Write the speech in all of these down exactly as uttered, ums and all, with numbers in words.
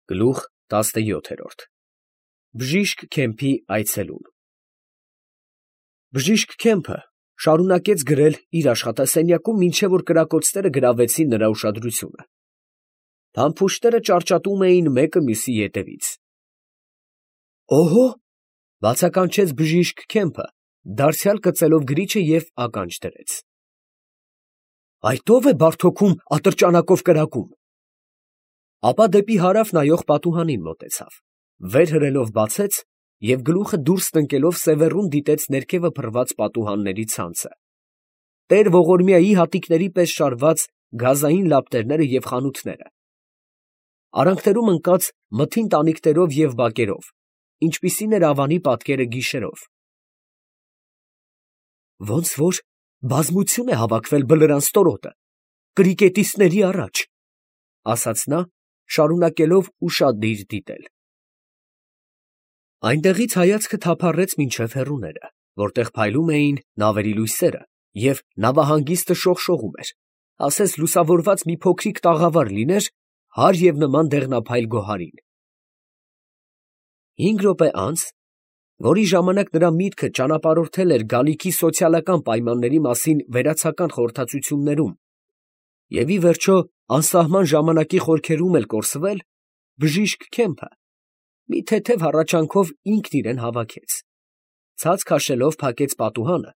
Գլուխ տասնյոթերորդ Բժիշկ Քեմփի այցելուն Բժիշկ Քեմփը շարունակեց գրել իր աշխատասենյակում, մինչև որ կրակոցները գրավեցին նրա ուշադրությունը. փամփուշտները ճարճատում էին մեկը մյուսի ետևից։ «Օհո!» բացականչեց բժիշկ Քեմփը, դարձյալ կծելով գրիչը և ականջ դրեց։ «Այդ ո՞վ է բարդոքում ատրճանակով կրակում»։ Ապա դեպի հարավ նայող պատուհանին մոտեցավ, վեր հրելով բացեց և գլուխը դուրս տնկելով սևեռուն դիտեց ներքևը փռված պատուհանների ցանցը, տեր Ողորմիայի հատիկների պես շարված գազային լապտերները և խանութները, արանքներում ընկած մթին տանիքներով և բակերով, ինչպիսին էր Ավանի պատկերը գիշերով։ «Ոնց որ բազմություն է հավաքվել Բլրան ստորոտը, կրիկետիստների առաջ», ֊ ասաց նա, շարունակելով ուշադիր դիտել։ Այնտեղից հայացքը թափառեց մինչև հեռուները, որտեղ փայլում էին նավերի լույսերը, և նավահանգիստը շողշողում էր, ասես լուսավորված մի փոքրիկ տաղավար լիներ հարև և նման դեղնափայլ գոհարին։ Հինգ րոպե անց, որի ժամանակ նրա միտքը ճանապարհորդել էր գալիքի սոցիալական պայմանների մասին վերացական խորհրդածություններում և ի վերջո անսահման ժամանակի խորքերում էլ կորսվել, բժիշկ Քեմփը մի թեթև հառաչանքով ինքն իրան հավաքեց, ցած քաշելով փակեց պատուհանը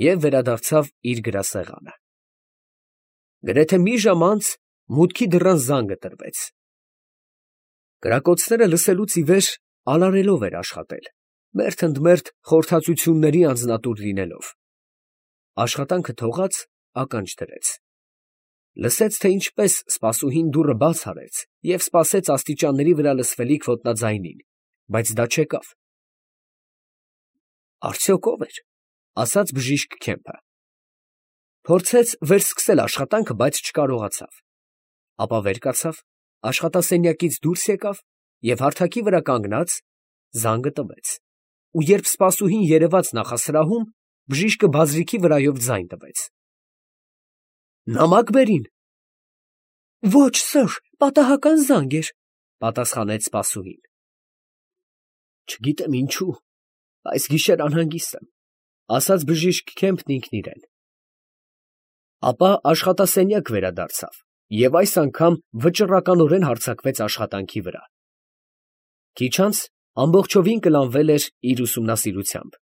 և վերադարձավ իր գրասեղանը։ Գրեթե մի ժամ անց մուտքի դռան զանգը տրվեց։ Կրակոցները լսելուց ի վեր alարելով էր աշխատել, մերթ ընդ մերթ խորհրդածությունների անձնատուր լինելով։ Աշխատանքը թողած, ականջ դրեց։ Լսեց, թե ինչպես սպասուհին դուռը բաց արեց և սպասեց աստիճանների վրա լսվելիք ոտնաձայնին, բայց դա չեկավ։ «Արդյոք ո՞վ էր», ֊ ասաց բժիշկ Քեմփը։ Փորձեց վերսկսել աշխատանքը, բայց չկարողացավ։ Ապա վեր կացավ, աշխատասենյակից դուրս եկավ և հարթակի վրա կանգնած զանգը տվեց, ու երբ սպասուհին երևաց նախասրահում, բժիշկը բազրիքի վրայով ձայն տվեց։ «Նամակ բերին»։ «Ոչ սըր, պատահական զանգ էր», ֊ պատասխանեց սպասուհին։ «Չգիտեմ ինչու, այս գիշեր անհանգիստ եմ», ֊ ասաց բժիշկ Քեմփն ինքն իրան։ Ապա աշխատասենյակ վերադարձավ և այս անգամ վճռականորեն հարձակվեց աշխատանքի վրա։ Քիչ անց ամբողջովին կլանվել էր իր ուսումնասիրությամբ։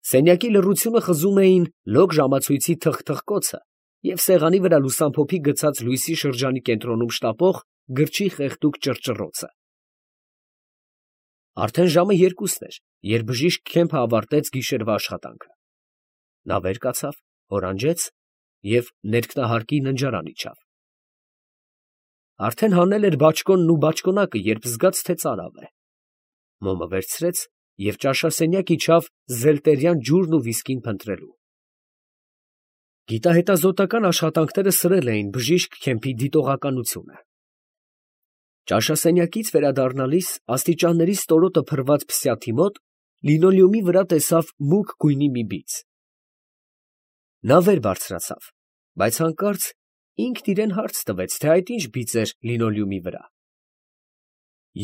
Սենյակի լռությունը խզում էին լոկ ժամացույցի թխթխկոցը և սեղանի վրա լուսամփոփի գցած լույսի շրջանի կենտրոնում շտապող գրչի խեղդուկ ճռճռոցը։ Արդեն ժամը երկուսն էր, երբ բժիշկ Քեմփը ավարտեց գիշերվա աշխատանքը։ Նա վեր կացավ, հորանջեց և ներքնահարկի ննջարան իջավ։ Արդեն հանել էր բաճկոնն ու բաճկոնակը, երբ զգաց, թե ծարավ է։ Մոմը վերցրեց և ճաշասենյակ իջավ զելտերյան ջուրն ու վիսկին փնտրելու։ Գիտահետազոտական աշխատանքները սրել էին բժիշկ Քեմփի դիտողականությունը։ Ճաշասենյակից վերադառնալիս աստիճանների ստորոտը փռված փսյաթի մոտ լինոլեումի վրա տեսավ մուգ գույնի մի բիծ։ Նա վեր բարձրացավ, բայց հանկարծ ինքն իրան հարց տվեց, թե այդ ինչ բիծ էր լինոլեումի վրա։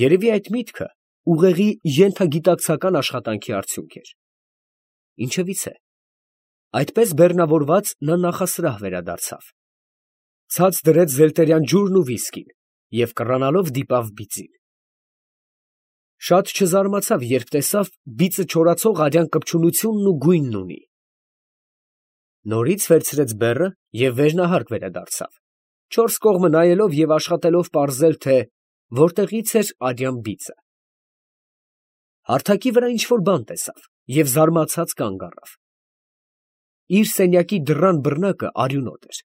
Երևի այդ միտքը ուղեղի ենթագիտակցական աշխատանքի արդյունք էր։ Ինչևիցե, այդպես բեռնավորված նա նախասրահ վերադարձավ, ցած դրեց զելտերյան ջուրն ու վիսկին և կռանալով դիպավ բիծին։ Շատ չզարմացավ, երբ տեսավ բիծը չորացող արյան կպչունությունն ու գույնն ունի։ Նորից վերցրեց բեռը և վերնահարկ վերադարձավ, չորս կողմը նայելով և աշխատելով պարզել, թե որտեղից էր արյան բիծը։ Հարթակի վրա ինչ֊որ բան տեսավ և զարմացած կանգ առավ։ Իր սենյակի դռան բռնակը արյունոտ էր։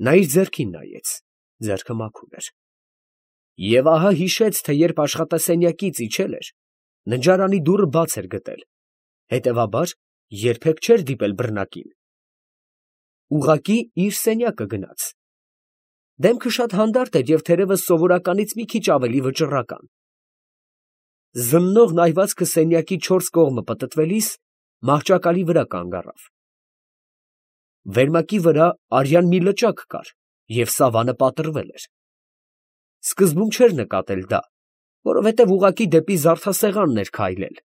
Նա իր ձեռքին նայեց, ձեռքը մաքուր էր։ Եվ ահա հիշեց, թե երբ աշխատասենյակից իջել էր, ննջարանի դուռը բաց էր գտել, հետևաբար երբեք չէր դիպել բռնակին։ Ուղղակի իր սենյակը գնաց։ Դեմքը շատ հանդարտ էր և թերևս սովորականից մի քիչ ավելի վճռական։ Զննող նայվածքը սենյակի չորս կողմը պտտվելիս մահճակալի վրա կանգ առավ։ Վերմակի վրա արյան մի լճակ կար և սավանը պատռվել էր։ Սկզբում չէր նկատել դա, որովհետև ուղղակի դեպի զարդասեղանն էր քայլել։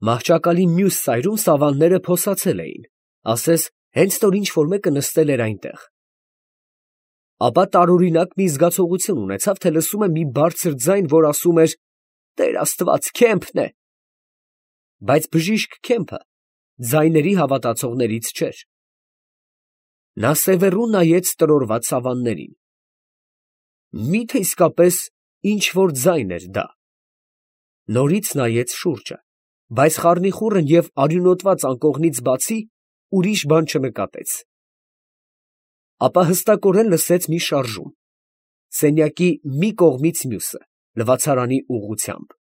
Մահճակալի մյուս ծայրում սավանները փոսացել էին, ասես հենց նոր ինչ֊որ մեկը նստել էր այնտեղ։ Ապա տարօրինակ մի զգացողություն ունեցավ, թե լսում է մի բարձր ձայն, որ ասում էր. «Տեր Աստված, Քեմփն է»։ Բայց բժիշկ Քեմփը ձայների հավատացողներից չէր։ Նա սևեռուն նայեց տրորված սավաններին։ Մի՞թե իսկապես ինչ֊որ ձայն էր դա։ Նորից նայեց շուրջը, բայց խառնիխուռն և արյունոտված անկողնից բացի ուրիշ բան չնկատեց։ Ապա հստակորեն լսեց մի շարժում, սենյակի մի կողմից մյուսը, լվացարանի ուղղությամբ։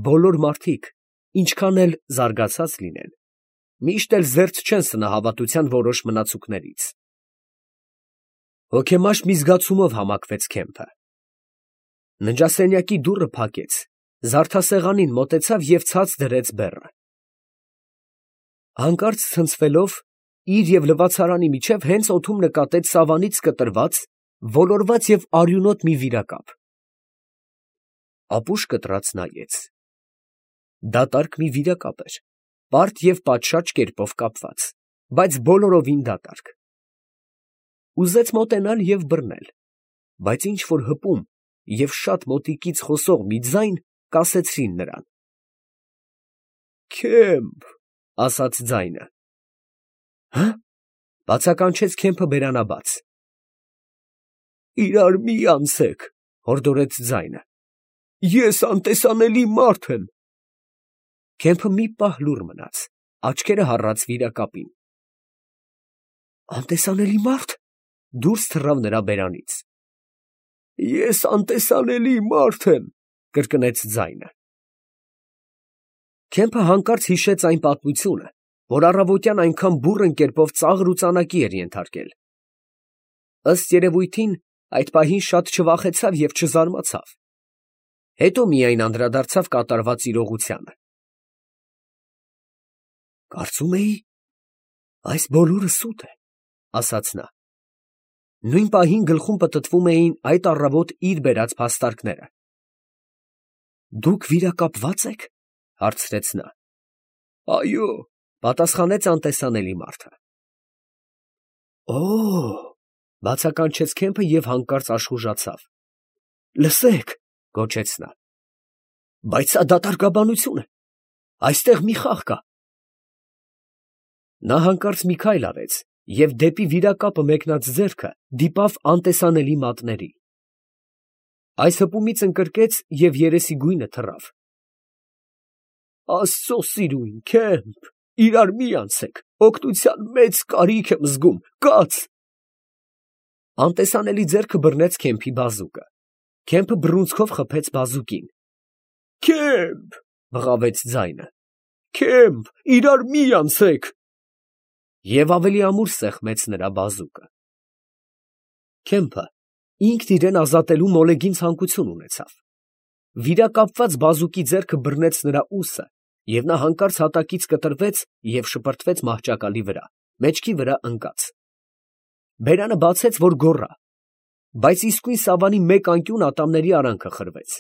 Բոլոր մարդիկ, ինչքան էլ զարգացած լինեն, միշտ էլ զերծ չեն սնահավատության որոշ մնացուկներից։ Հոգեմաշ մի զգացումով համակվեց Քեմփը։ Ննջասենյակի դուռը փակեց, զարդասեղանին մոտեցավ և ցած դրեց բեռը։ Հանկարծ ցնցվելով, իր և լվացարանի միջև հենց օդում նկատեց սավանից կտրված, ոլորված և արյունոտ մի վիրակապ։ Ապուշ կտրած նայեց։ Դատարկ մի վիրակապ էր, բարդ և պատշաճ կերպով կապված, բայց բոլորովին դատարկ։ Ուզեց մոտենալ և բռնել, բայց ինչ֊որ հպում և շատ մոտիկից խոսող մի ձայն կասեցրին նրան։ «Քեմփ», ասաց ձայնը։ «Հը՞», բացականչեց Քեմփը բերանաբաց։ «Իրար մի անցեք», հորդորեց ձայնը, «ես անտեսանելի մարդ եմ»։ Քեմփը մի պահ լուռ մնաց, աչքերը հառած վիրակապին։ «Անտեսանելի մա՞րդ», դուրս թռավ նրա բերանից։ «Ես անտեսանելի մարդ եմ», կրկնեց ձայնը։ Քեմփը հանկարծ հիշեց այն պատմությունը, որ առավոտյան այնքան բուռն կերպով ծաղր ու ծանակի էր ենթարկել։ Ըստ երևույթին, այդ պահին շատ չվախեցավ և չզարմացավ։ Հետո միայն անդրադարձավ կատարված իրողությանը։ «Կարծում էի, այս բոլորը սուտ է», ասաց նա։ Նույն պահին գլխում պտտվում էին այդ առավոտ իր բերած փաստարկները։ «Դուք վիրակապվա՞ծ եք», հարցրեց նա։ «Այո», պատասխանեց անտեսանելի մարդը։ «Օ՜օ», բացականչեց Քեմփը և հանկարծ աշխուժացավ։ «Լսեք», գոչեց նա։ «Բայց սա դատարկաբանություն է, այստեղ մի խաղ կա»։ Նա հանկարծ մի քայլ արեց և դեպի վիրակապը մեկնած ձեռքը դիպավ անտեսանելի մատների։ Այս հպումից ընկրկեց և երեսի գույնը թռավ։ «Աստծո սիրուն, Քեմփ, իրար մի անցեք, օգնության մեծ կարիք եմ զգում, կաց»։ Անտեսանելի ձեռքը բռնեց Քեմփի բազուկը։ Քեմփը բռունցքով խփեց բազուկին։ «Քեմփ», բղավեց ձայնը, «Քեմփ, իրար մի անցեք»։ Եվ ավելի ամուր սեղմեց նրա բազուկը։ Քեմփը ինքն իրան ազատելու մոլեգին ցանկություն ունեցավ։ Վիրակապված բազուկի ձեռքը բռնեց նրա ուսը, և նա հանկարծ հատակից կտրվեց և շպրտվեց մահճակալի վրա, մեջքի վրա ընկած։ Բերանը բացեց, որ գոռա, բայց իսկույն սավանի մեկ անկյուն ատամների արանքը խրվեց։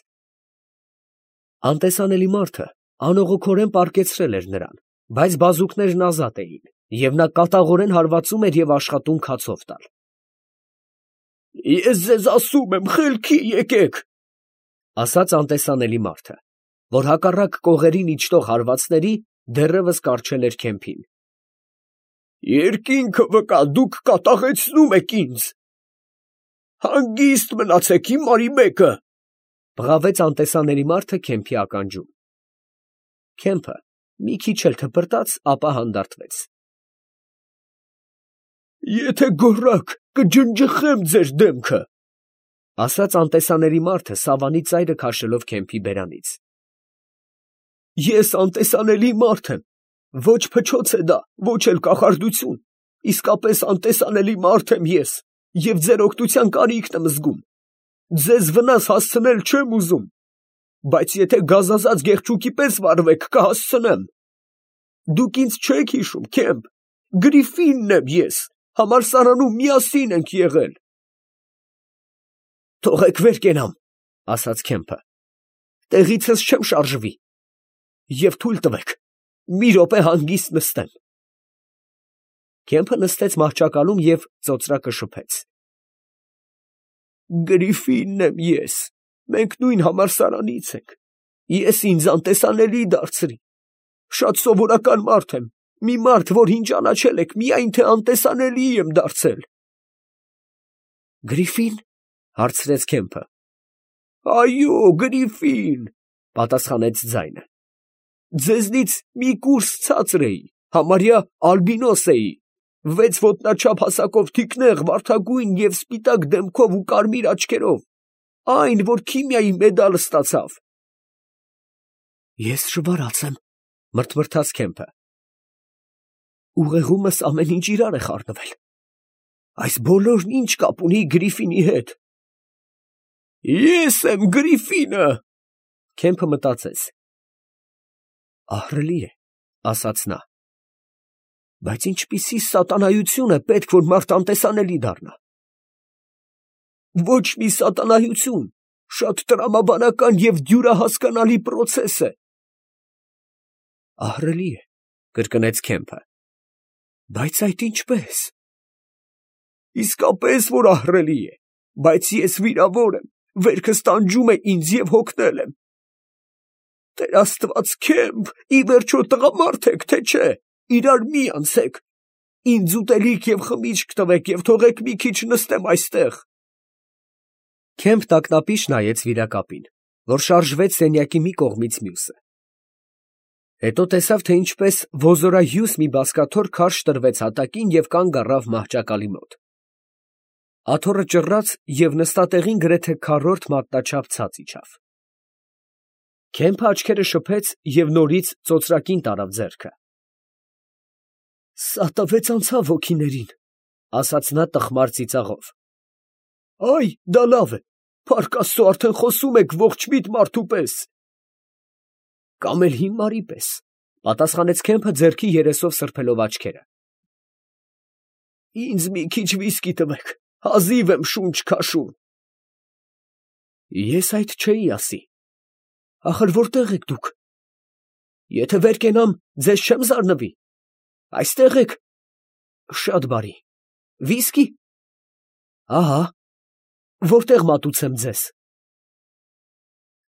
Անտեսանելի մարդը անողոքորեն պառկեցրել էր նրան, բայց բազուկներն ազատ էին, և նա կատաղորեն հարվածում էր և աշխատում քացով տալ։ «Ես ձեզ ասում եմ, խելքի եկեք», ասաց անտեսանելի մարդը, որ հակառակ կողերին իջնող հարվածների դեռևս կառչել էր Քեմփին։ «Երկինքը վկա, դուք կատաղեցնում եք ինձ»։ «Հանգիստ մնացեք, հիմարի մեկը», բղավեց անտեսանելի մարդը Քեմփի ականջում։ Քեմփը մի քիչ էլ թպրտաց, ապա հանդարտվեց։ «Եթե գոռաք, կջնջխեմ ձեր դեմքը», ասաց անտեսանելի մարդը սավանի ծայրը քաշելով Քեմփի բերանից։ «Ես անտեսանելի մարդ եմ, ոչ փչոց է դա, ոչ էլ կախարդություն, իսկապես անտեսանելի մարդ եմ ես, և ձեր օգնության կարիքն եմ զգում։ Ձեզ վնաս հասցնել չեմ ուզում, բայց եթե գազազած գեղչուկի պես վարվեք, կհասցնեմ։ Դուք ինձ չեք հիշում, Քեմփ, Գրիֆինն եմ ես, համալսարանում միասին ենք եղել»։ Թողեք վեր կենամ, ասաց Քեմփը։ Տեղիցս չեմ շարժվի։ Եվ թույլ տվեք, մի րոպե հանգիստ նստեմ։ Քեմփը նստեց մահճակալում և ծոծրակը շփեց։ Գրիֆինն եմ ես, մենք նույն համալսարանից ենք, ես ինձ անտեսանելի դարձրի, շատ սովորական մարդ եմ, մի մարդ, որ ինձ ճանաչել եք, միայն թե անտեսանելի եմ դարձել։ Գրիֆին, հարցրեց Քեմփը։ Այո, Գրիֆին, պատասխանեց ձայնը։ Ձեզնից մի կուրս ցածր էի, համարյա ալբինոս էի, վեց ոտնաչափ հասակով թիկնեղ, վարդագույն և սպիտակ դեմքով ու կարմիր աչքերով, այն, որ քիմիայի մեդալ ստացավ։ Ես շվարած եմ, մրթմրթաց Քեմփը։ Ուղեղումս ամեն ինչ իրար է խառնվել։ Այս բոլորն ինչ կապ ունի Գրիֆինի հետ։ Ես եմ Գրիֆինը, Քեմփը մտածեց։ Ահռելի է, ասաց նա։ Բայց ինչպիսի սատանայություն է պետք, որ մարդ անտեսանելի դառնա։ Ոչ մի սատանայություն, շատ տրամաբանական և դյուրահասկանալի պրոցես է։ Ահռելի է, կրկնեց Քեմփը։ Բայց այդ ինչպես։ Իսկապես որ ահռելի է, բայց ես վիրավոր եմ, վերքս տանջում է ինձ և հոգնել եմ։ Տեր Աստված, Քեմփ, ի վերջո տղամարդ եք, թե չէ, իրար մի անցեք, ինձ ուտելիք և խմիչք տվեք և թողեք մի քիչ նստեմ այստեղ։ Քեմփ տակնապիշ նայեց վիրակապին, որ շարժվեց սենյակի մի կողմից մյուսը։ Հետո տեսավ, թե ինչպես ոզորահյուս մի բազկաթոռ քարշ տրվեց հատակին և կանգ առավ մահճակալի մոտ։ Աթոռը ճռռաց և նստատեղին գրեթե քառորդ մատնաչափ ցած իջավ։ Քեմփը աչքերը շփեց և նորից ծոծրակին տարավ ձեռքը։ Սա տվեց անցավ հոգիներին, ասաց նա տխմար ծիծաղով։ Այ, դա լավ է, փառք Աստծո, արդեն խոսում եք ողջմիտ մարդու պես։ Կամ էլ հիմարի պես, պատասխանեց Քեմփը ձեռքի երեսով սրբելով աչքերը։ Ինձ մի քիչ վիսկի տվեք, հազիվ եմ շունչ քաշում։ Ես այդ չէի ասի։ Ախր որտե՞ղ եք դուք։ Եթե վեր կենամ, ձեզ չեմ զարնվի։ Այստե՞ղ եք։ Շատ բարի։ Վիսկի։ Ահա։ Որտե՞ղ մատուցեմ ձեզ։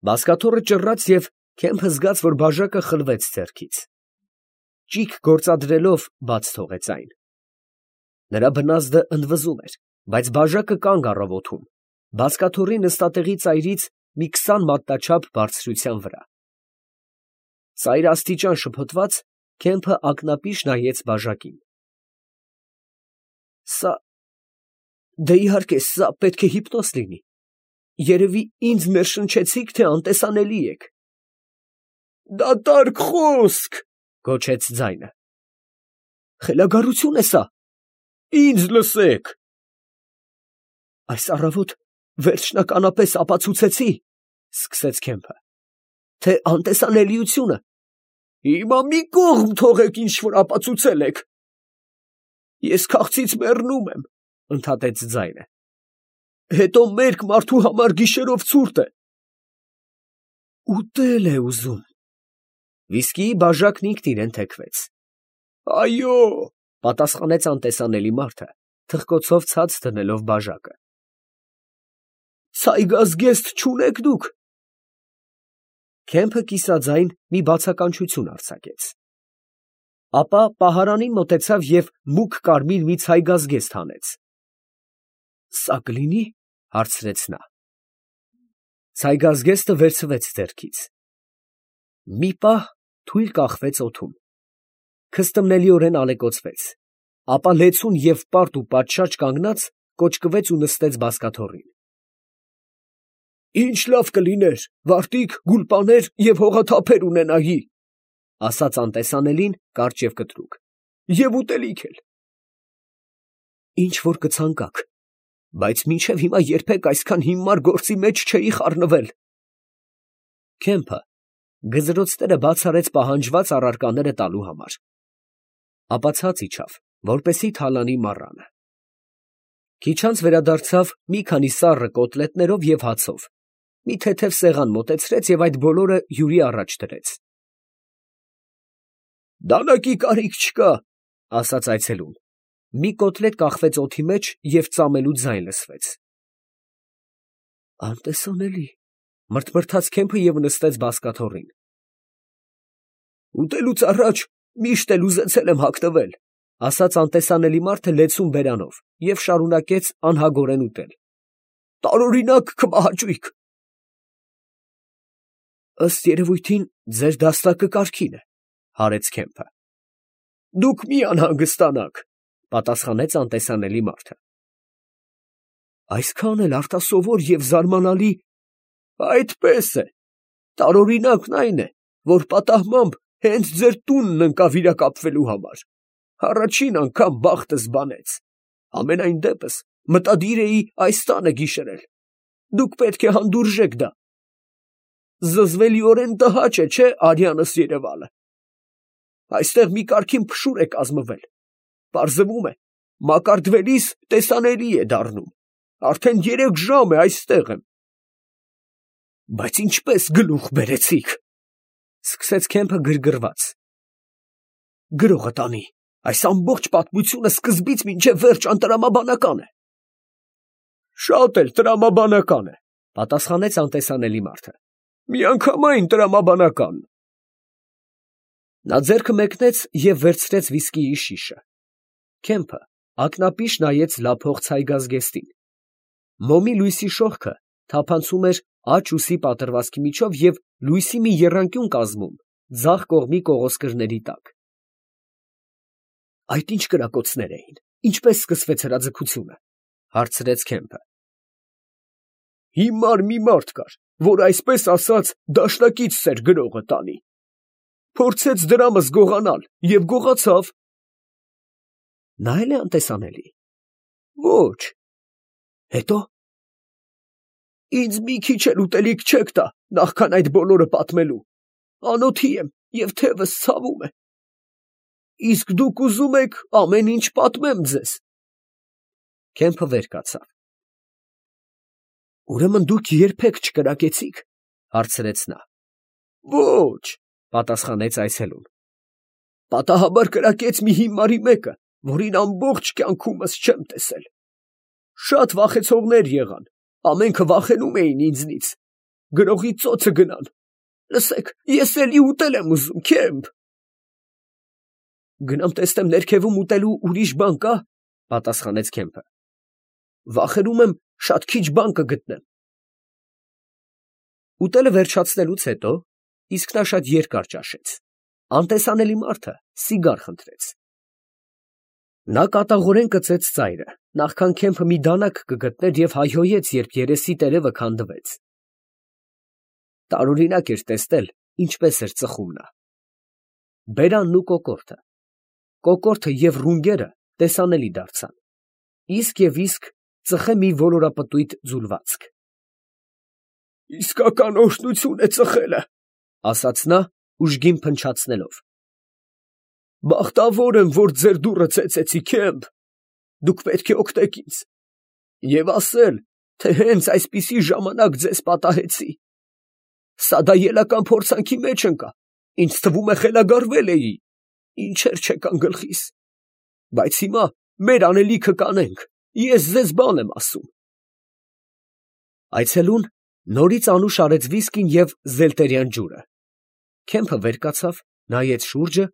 Բազկաթոռը ճռռաց և Քեմփը զգաց, որ բաժակը խլվեց ձեռքից։ Ճիգ գործադրելով բաց թողեց այն։ Նրա բնազդը ընդվզում էր, բայց բաժակը կանգ առավ օդում, բազկաթոռի նստատեղի ծայրից մի քսան մատնաչափ բարձրության վրա։ Ծայրաստիճան շփոթված, Քեմփը ակնապիշ նայեց բաժակին։ Սա… դե իհարկե, սա պետք է հիպնոզ լինի։ Երևի ինձ ներշնչեցիք, թե անտեսանելի եք։ Դատարկ խոսք, գոչեց ձայնը։ Խելագարություն է սա։ Ինձ լսեք։ Այս առավոտ վերջնականապես ապացուցեցի, սկսեց Քեմփը, թե անտեսանելիությունը… Հիմա մի կողմ թողեք, ինչ որ ապացուցել եք։ Ես քաղցից մեռնում եմ, ընդհատեց ձայնը։ Հետո մերկ մարդու համար գիշերով ցուրտ է։ Ուտել է ուզում։ Վիսկիի բաժակն ինքն իրեն թեքվեց։ Այո, պատասխանեց անտեսանելի մարդը, թխկոցով ցած դնելով բաժակը։ Ցայգազգեստ չունեք դուք։ Քեմփը կիսաձայն մի բացականչություն արձակեց։ Ապա պահարանին մոտեցավ և մուգ կարմիր մի ցայգազգեստ հանեց։ Սա կլինի, հարցրեց նա։ Ցայգազգեստը վերցվեց ձեռքից։ Մի պահ թույլ կախվեց օդում, քստմնելիորեն ալեկոծվեց, ապա լեցուն և պարտ ու պատշաճ կանգնած, կոճկվեց ու նստեց բազկաթոռին։ Ինչ լավ կլիներ, վարտիք, գուլպաներ և հողաթափեր ունենայի, ասաց անտեսանելին կարճ և կտրուկ, և ուտելիք էլ։ Ինչ որ կցանկաք, բայց մինչև հիմա երբեք այսքան հիմար գործի մեջ չէի խառնվել։ Քեմփը գզրոցները բաց արեց պահանջված առարկաները տալու համար, ապա ցած իջավ, որպեսզի թալանի մառանը։ Քիչ անց վերադարձավ մի քանի սառը կոտլետներով և հացով, մի թեթև սեղան մոտեցրեց և այդ բոլորը հյուրի առաջ դրեց։ «Դանակի կարիք չկա, ֊ ասաց այցելուն. մի կոտլետ կախվեց օդի մեջ և ծամելու ձայն լսվեց։ ֊ Անտեսանելի, ֊ մրթմրթաց Քեմփը և նստեց բազկաթոռին։ ֊ Ուտելուց առաջ միշտ էլ ուզեցել եմ հագնվել, ֊ ասաց անտեսանելի մարդը լեցուն բերանով և շարունակեց անհագորեն ուտել։ ֊ Տարօրինակ քվահաճույք։ ֊ Ըստ երևույթին, ձեր դաստակը կարգին է, ֊ հարեց Քեմփը։ ֊ Դուք մի անհանգստանաք, ֊ պատասխանեց անտեսանելի մարդը։ ֊ Այսքան էլ արտասովոր և զարմանալի։ ֊ Այդպես է. տարօրինակն այն է, որ պատահմամբ հենց ձեր տունն ընկա վիրակապվելու համար. առաջին անգամ բախտս բանեց. համենայն դեպս մտադիր էի այս տանը գիշերել. դուք պետք է հանդուրժեք դա. զզվելիորեն տհաճ է, չէ՞, արյանս երևալը. այստեղ մի կարգին փշուր է կազմվել. պարզվում է, մակարդվելիս տեսանելի է դառնում. արդեն երեք ժամ է այստեղ եմ։ ֊ Բայց ինչպես գլուխ բերեցիք, ֊ սկսեց Քեմփը գրգռված։ ֊ Գրողը տանի, այս ամբողջ պատմությունը սկզբից մինչև վերջ անտրամաբանական է։ ֊ Շատ էլ տրամաբանական է, ֊ պատասխանեց անտեսանելի մարդը։ ֊ Միանգամայն տրամաբանական։ Նա ձեռքը մեկնեց և վերցրեց վիսկիի շիշը։ Քեմփը ակնապիշ նայեց լափող ցայգազգեստին։ Մոմի լույսի շողքը թափանցում էր աջ ուսի պատռվածքի միջով և լույսի մի եռանկյուն կազմում ձախ կողմի կողոսկրների տակ։ ֊ Այդ ի՞նչ կրակոցներ էին, ինչպե՞ս սկսվեց հրաձգությունը, ֊ հարցրեց Քեմփը։ ֊ Հիմար մի մարդ կար, որ այսպես ասած դաշնակիցս էր գրողը տանի. փորձեց դրամս գողանալ և գողացավ։ ֊ Նա է՞լ է անտեսանելի։ ֊ Ոչ։ ֊ Հետո։ ֊ Ինձ մի քիչ էլ ուտելիք չեք տա, նախքան այդ բոլորը պատմելու. անոթի եմ և թևս ցավում է։ ֊ Իսկ դուք ուզում եք ամեն ինչ պատմեմ ձեզ։ Քեմփը վեր կացավ։ ֊ Ուրեմն դուք երբեք չկրակեցիք, ֊ հարցրեց նա։ ֊ Ոչ, ֊ պատասխանեց այցելուն։ ֊ Պատահաբար կրակեց մի հիմարի մեկը, որին ամբողջ կյանքումս չեմ տեսել։ Շատ վախեցողներ եղան, ամենքը վախենում էին ինձնից. գրողի ծոցը գնան։ Լսեք, ես էլի ուտել եմ ուզում, Քեմփ։ ֊ Գնամ տեսնեմ ներքևում ուտելու ուրիշ բան կա, ֊ պատասխանեց Քեմփը։ ֊ Վախենում եմ, շատ քիչ բան կգտնեմ։ Ուտելը վերջացնելուց հետո, իսկ նա շատ երկար ճաշեց, անտեսանելի մարդը սիգար խնդրեց։ Նա կատաղորեն կծեց ծայրը, նախքան Քեմփը մի դանակ կգտներ և հայհոյեց, երբ երեսի տերևը քանդվեց։ Տարօրինակ էր տեսնել, ինչպես էր ծխում նա։ Բերանն ու կոկորդը, կոկորդը և ռունգերը տեսանելի դարձան, իսկ և իսկ ծխե մի ոլորապտույտ ձուլվածք։ Իսկական օրհնություն է ծխելը, ֊ ասաց նա, ուժգին փնչացնելով։ Բախտավոր եմ, որ ձեր դուռը ծեծեցի, Քեմփ, դուք պետք է օգնեք ինձ, և ասել, թե հենց այսպիսի ժամանակ ձեզ պատահեցի։ Սա դայելական փորձանքի մեջ ընկա, ինձ թվում է խելագարվել էի, ինչեր չեկան գլխիս։ Բայց հիմա մեր անելիքը կանենք, ես ձեզ բան եմ ասում։ Այցելուն նորից անուշ արեց վիսկին և զելտերյան ջուրը։ Քեմփը վեր կացավ, նայեց շուրջը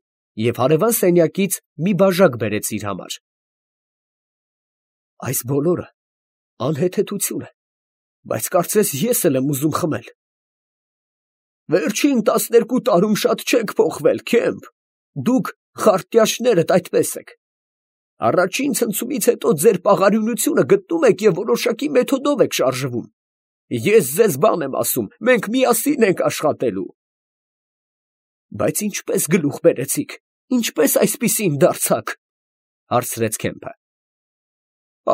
և հարևան սենյակից մի բաժակ բերեց իր համար։ Այս բոլորը անհեթեթություն է, բայց կարծես ես էլ եմ ուզում խմել։ Վերջին տասներկու տարում շատ չեք փոխվել, Քեմփ, դուք խարտյաշներդ այդպես եք։ Առաջին ցնցումից հետո ձեր պաղարյունությունը գտնում եք և որոշակի մեթոդով եք շարժվում։ Ես ձեզ բան եմ ասում, մենք միասին ենք աշխատելու։ Բայց ինչպես գլուխ բերեցիք, ինչպես այսպիսին դարձաք, ֊ հարցրեց Քեմփը։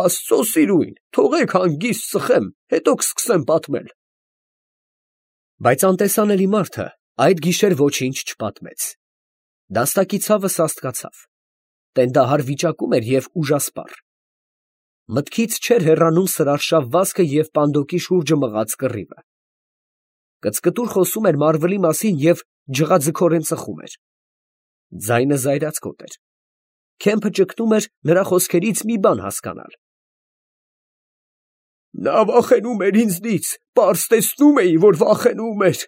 Աստծո սիրույն, թողեք հանգիստ ծխեմ, հետո կսկսեմ պատմել։ Բայց անտեսանելի մարդը այդ գիշեր ոչինչ չպատմեց։ Դաստակի ցավը սաստկացավ, տենդահար վիճակում էր և ուժասպառ։ Մտքից չէր հեռանում սրարշավ վազքը և պանդոկի շուրջը մղած կռիվը։ Կծկտուր խոսում էր մարվլի մասին և ջղաձգորեն ծխում էր։ Ձայնը զայրացկոտ էր։ Քեմփը ճգնում էր նրա խոսքերից մի բան հասկանալ։ Նա վախենում էր ինձնից, պարզ տեսնում էի, որ վախենում էր,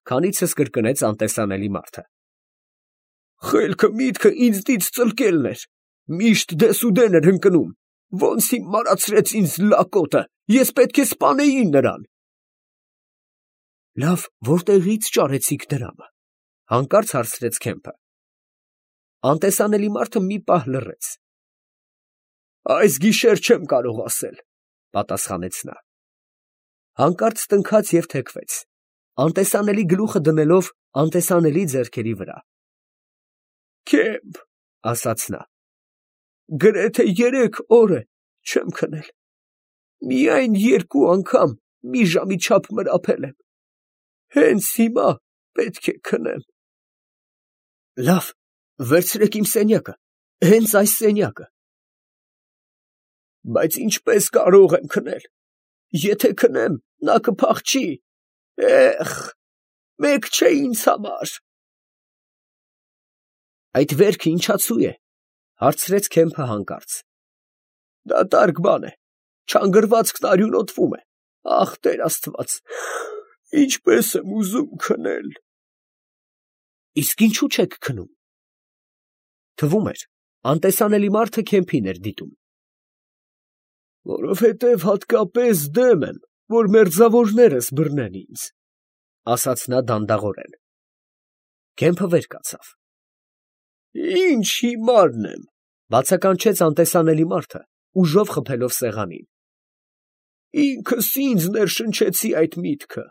քանիցս կրկնեց անտեսանելի մարդը։ Խելքը միտքը ինձնից ծլկելն էր, միշտ դեսուդեն էր ընկնում, ոնց հիմարացրեց ինձ լակոտը, ես պետք է սպանեի նրան։ Լավ, որտեղի՞ց ճարեցիք դրամը, հանկարծ հարցրեց Քեմփը։ Անտեսանելի մարդը մի պահ լռեց։ Այս գիշեր չեմ կարող ասել, պատասխանեց նա։ Հանկարծ տնքաց և թեքվեց, անտեսանելի գլուխը դնելով անտեսանելի ձեռքերի վրա։ Քեմփ, ասաց նա, գրեթե երեք օր է չեմ քնել, միայն երկու անգամ մի ժամի չափ մրապել եմ, հենց հիմա պետք է քնեմ։ Լավ, վերցրեք իմ սենյակը, հենց այս սենյակը։ Բայց ինչպես կարող եմ քնել, եթե քնեմ, նա կփախչի, էխ, մեկ չէ ինձ համար։ Այդ վերքը ինչացու է, հարցրեց Քեմփը հանկարծ։ Դատարկ բան է, չանգրվածքն արյունոտվում է, ախ, Տեր Աստված, ինչպես եմ ուզում քնել։ Իսկ ինչու չեք քնում։ Թվում էր, անտեսանելի մարդը Քեմփին էր դիտում։ Որովհետև հատկապես դեմ եմ, որ մերձավորներս բռնեն ինձ, ասաց նա դանդաղորեն։ Քեմփը վեր կացավ։ Ինչ հիմարն եմ, բացականչեց անտեսանելի մարդը, ուժով խփելով սեղանին։ Ինքս ինձ ներշնչեցի այդ միտքը,